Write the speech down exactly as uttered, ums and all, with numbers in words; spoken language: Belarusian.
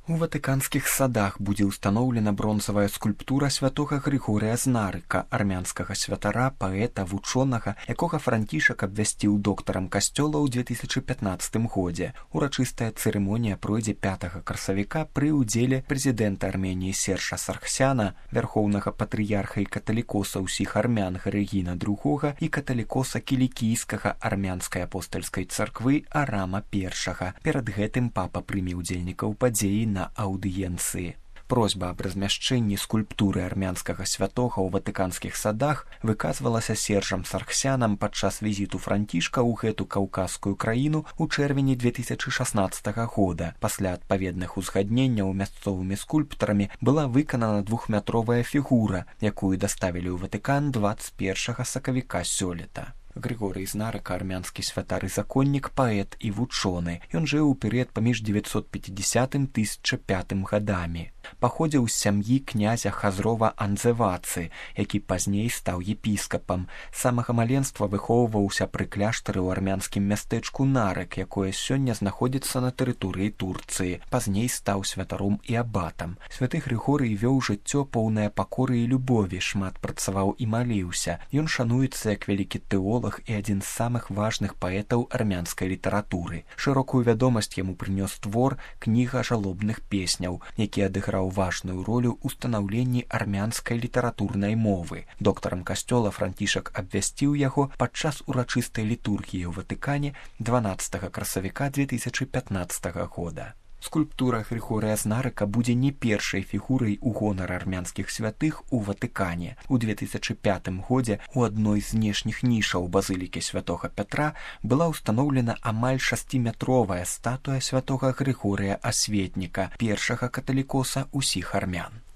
У ватыканскіх садах будзе ўстаноўлена бронзавая скульптура святога Грыгорыя з Нарыка, армянскага святара, паэта, вучонага, якога Францішак абвясціў доктарам касцёла ў две тысячы пятнаццатым годзе. Урачыстая цырымонія пройдзе пятага красавіка пры ўдзеле прэзідэнта Арменіі Сержа Саргсяна, вярхоўнага патрыярха і каталікоса ўсіх армян Гарыгіна другога і каталікоса кілікійскага армянскай апостальскай царквы Арама першага. Перад гэтым папа прыме ўдзельнікаў падзеі на аўдыенцыі. Просьба аб размяшчэнні скульптуры армянскага святога ў ватыканскіх садах выказвалася Сержам Саргсянам падчас візіту Францішка ў гэту каўказскую краіну ў чэрвені две тысячы шаснаццатага года. Пасля адпаведных узгадненняў мясцовымі скульптарамі была выканана двухметровая фігура, якую даставілі ў Ватыкан дваццаць першага сакавіка сёлета. Грыгорый з Нарыка, армянскі святар і законнік, паэт і вучоны. Ён жыў у перыяд паміж дзевяцьсот пяцідзясятым - тысяча пятым гадамі. Паходзіў з сям'і князя Хазрова Анзевацы, які пазней стаў епіскапам. З самага маленства выхоўваўся пры кляштары ў армянскім мястэчку Нарык, якое сёння знаходзіцца на тэрыторыі Турцыі. Пазней стаў святаром і абатам. Святы Грыгорый вёў жыццё поўнае пакоры і любові, шмат працаваў і маліўся. Ён шануецца як вялікі тэолог і адзін з самых важных паэтаў армянскай літаратуры. Шырокую вядомасць яму прынёс твор «Кніга жалобных песняў», які адыграў важную ролю ў станаўленні армянскай літаратурнай мовы. Доктарам касцёла Францішак абвясціў яго падчас урачыстай літургіі ў Ватыкане дванаццатага красавіка две тысячы пятнаццатага года. Скульптура Грыгорыя з Нарыка будзе не першай фігурай у гонар армянскіх святых у Ватыкане. У две тысячы пятым годзе у адной з знешніх нішаў базылікі святога Пятра была ўстаноўлена амаль шасціметровая статуя святога Грыгорыя Асветніка, першага каталікоса ўсіх армян.